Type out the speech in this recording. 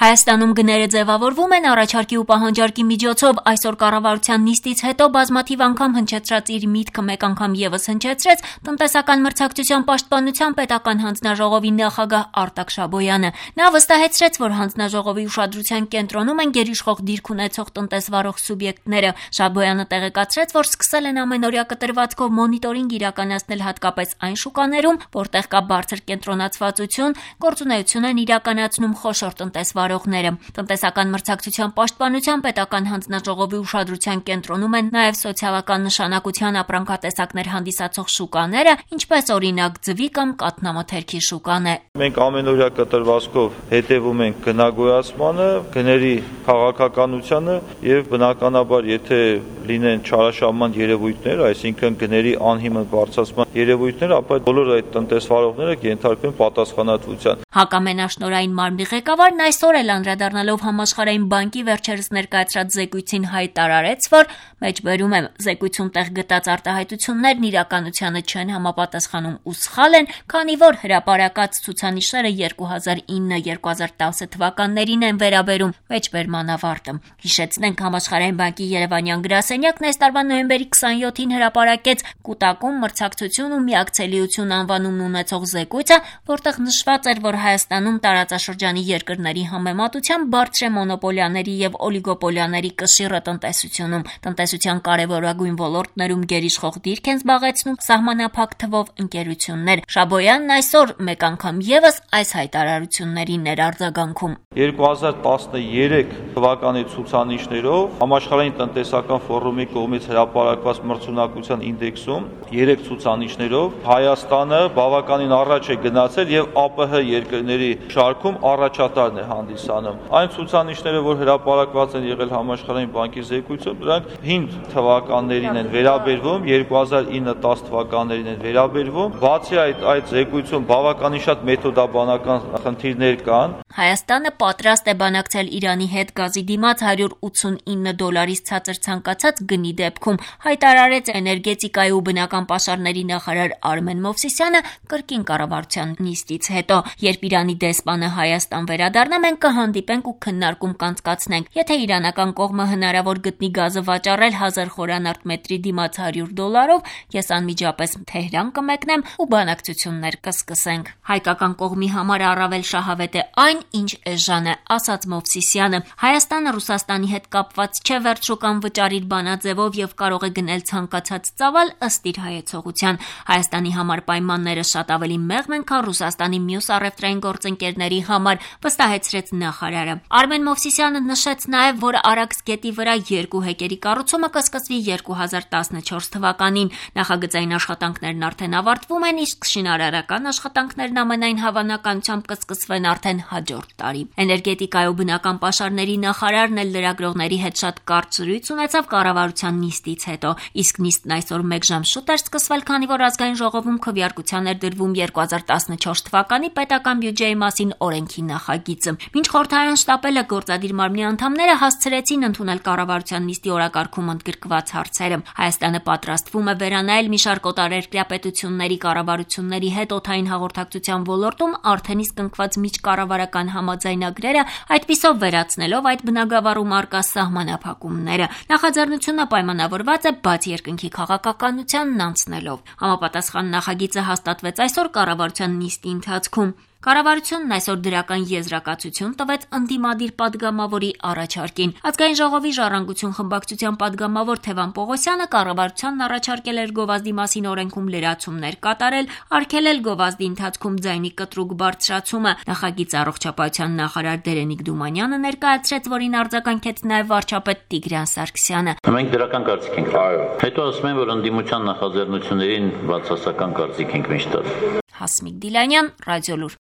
Հայաստանում գները ձևավորվում են առաջարկի ու պահանջարկի միջոցով։ Այսօր կառավարության նիստից հետո բազմաթիվ անգամ հնչեցրած իր միտքը մեկ անգամ եւս հնչեցրեց տնտեսական մրցակցության պաշտպանության պետական հանձնաժողովի նախագահ Արտակ Շաբոյանը։ Նա վստահեցրեց, որ հանձնաժողովի ուշադրության կենտրոնում են գերիշխող դիրք ունեցող տնտեսվարող սուբյեկտները։ Շաբոյանը տեղեկացրեց, որ սկսել են ամենօրյա կտրվածքով մոնիտորինգ իրականացնել հատկապես այն շուկաներում, որտեղ կա բարձր կենտրոնացվածություն, գործունեություն են իրականացնում խոշոր տնտեսվարողները։ Տնտեսական մրցակցության պաշտպանության պետական հանձնաժողովի ուշադրության կենտրոնում են նաև սոցիալական նշանակության ապրանքատեսակներ հանդիսացող շուկաները, ինչպես օրինակ ձվի կամ կաթնամթերքի շուկան է։ Մենք ամենօրյա կտրվածքով հետևում ենք գնագոյացմանը, գների քաղաքականությանը եւ բնականաբար եթե լինեն չարաշահման երևույթներ, այսինքն գների անհիմն բարձրացման երևույթներ, ապա բոլոր այդ տնտեսվարողները կենթարկվեն պատասխանատվության։ Հակամենաշնորհային մարմնի ղեկավարն այսօր էլ անդրադառնալով Համաշխարհային բանկի վերջերս ներկայացրած զեկույցին հայտարարեց, որ մեջբերում եմ զեկույցում տեղ գտած արտահայտություններն իրականությանը չեն համապատասխանում ու սխալ են, քանի որ հրապարակած ցուցանիշները 2009-2010 թվականներին են վերաբերում։ Մեջբերման ավարտը։ Հիշեցնենք, Համաշխարհային բանկի Երևանյան գրասենյակն այս տարվա նոյեմբերի 27-ին հրապարակեց «Կուտակում, մրցակցություն ու միակցելիություն» անվանումն ունեցող զեկույցը, որտեղ նշված էր, որ Հայաստանում տարածաշրջանի երկրների համեմատությամբ բարձր է մոնոպոլիաների եւ օլիգոպոլիաների կշիռը տնտեսությունում։ Տնտեսության կարևորագույն ոլորտներում գերիշխող դիրք են զբաղեցնում սահմանափակ թվով ընկերություններ։ Շաբոյանն այսօր մեկ անգամ եւս այս հայտարարություններին էր արձագանքում։ 2013 թվականի ցուցանիշներով Համաշխարհային տնտեսական ֆորումի կողմից հրապարակված մրցունակության ինդեքսում 3 ցուցանիշներով Հայաստանը բավականին առաջ է գնացել եւ ԱՊՀ երկրների շարքում առաջատարն է հանդիսանում։ Այն ցուցանիշները, որ հրապարակված են եղել Համաշխարհային բանկի զեկույցում, դրանք 5 թվականներին են վերաբերվում, 2009-10 թվականներին են վերաբերվում։ Բացի այդ զեկույցում բավականին շատ մեթոդաբանական խնդիրներ կան։ Հայաստանը պատրաստ է բանակցել Իրանի հետ գազի դիմաց $189 ցածր ցանկացած գնի դեպքում, հայտարարեց էներգետիկայի ու բնական պաշարների նախարար Արմեն Մովսիսյանը կրկին կառավարության նիստից հետո։ Երբ Իրանի դեսպանը Հայաստան վերադառնա, մենք կհանդիպենք ու քննարկում կանցկացնենք։ Եթե իրանական կողմը հնարավոր գտնի գազը վաճառել 1000 խորանարդ մետրի դիմաց $100, ես անմիջապես Թեհրան կմեկնեմ ու բանակցություններ կսկսենք։ Հայկական կողմի համար առավել շահավետ է այն, ինչ էժան է, ասաց Մովսիսյանը։ Հայաստանը Ռուսաստանի հետ կապված չէ վերջուկան վճարիր բանաձևով եւ կարող է գնել ցանկացած ծավալ ըստ իր հայեցողության։ Հայաստանի համար պայմանները շատ ավելի մեղմ են, քան Ռուսաստանի մյուս առևտրային գործընկերների համար, վստահեցրեց նախարարը։ Արմեն Մովսիսյանը նշեց նաեւ, որ Արաքս գետի վրա 2 հեկերի կառուցումը կսկսվի 2014 թվականին։ Նախագծային աշխատանքներն արդեն ավարտվում են, իսկ շինարարական աշխատանքներն ամենայն հավանականությամբ կսկսվեն արդեն հաջորդ տարի։ Էներգետիկայի ու բնական պաշարների նախարարն էլ լրագրողների հետ շատ կարճ զրույց ունեցավ կառավարության նիստից հետո, իսկ նիստն այսօր 1 ժամ շուտ էր սկսվել, քանի որ ազգային ժողովում քվեարկության էր դրվում 2014 թվականի պետական բյուջեի մասին օրենքի նախագիծը։ Մինչ խորհրդարան շտապելը գործադիր մարմնի անդամները հասցրեցին ընդունել կառավարության նիստի օրակարգում ընդգրկված հարցերը։ Հայաստանը պատրաստվում է վերանայել մի շարք օտարերկրյա պետությունների կառավարությունների հետ օդային հաղորդակցության ոլորտում արդեն իսկ ընկված միջկառավարական համաձայնագրերը, այդպիսով վերացնելով այդ բնագավառում առկա սահմանափակումները։ Նախաձեռնությունը պայմանավորված է բաց երկնքի քաղաքականությանն անցնելով։ Համապատասխան նախագիծը հաստատվեց այսօր կառավարության նիստի ընթացքում։ Կառավարությունն այսօր դրական եզրակացություն տվեց ընդդիմադիր падգամավորի առաջարկին։ Ազգային ժողովի ժառանգություն խմբակցության падգամավոր Թևան Պողոսյանը կառավարությանն առաջարկել էր գովազդի մասին օրենքում լրացումներ կատարել, արգելել գովազդի ընթացքում ձայնի կտրուկ բարձրացումը։ Նախագիծը առողջապահության նախարար Դերենիկ Դումանյանը ներկայացրեց, որին արձագանքեց նաև վարչապետ Տիգրան Սարգսյանը։ Մենք դրական կարծիք ենք։ Հետո ասում են, որ ընդդիմության նախաձեռնություններին բացասական կարծիք ենք միշտ տալիս։ Հասմիկ Դիլանյան, Ռադիոլուր։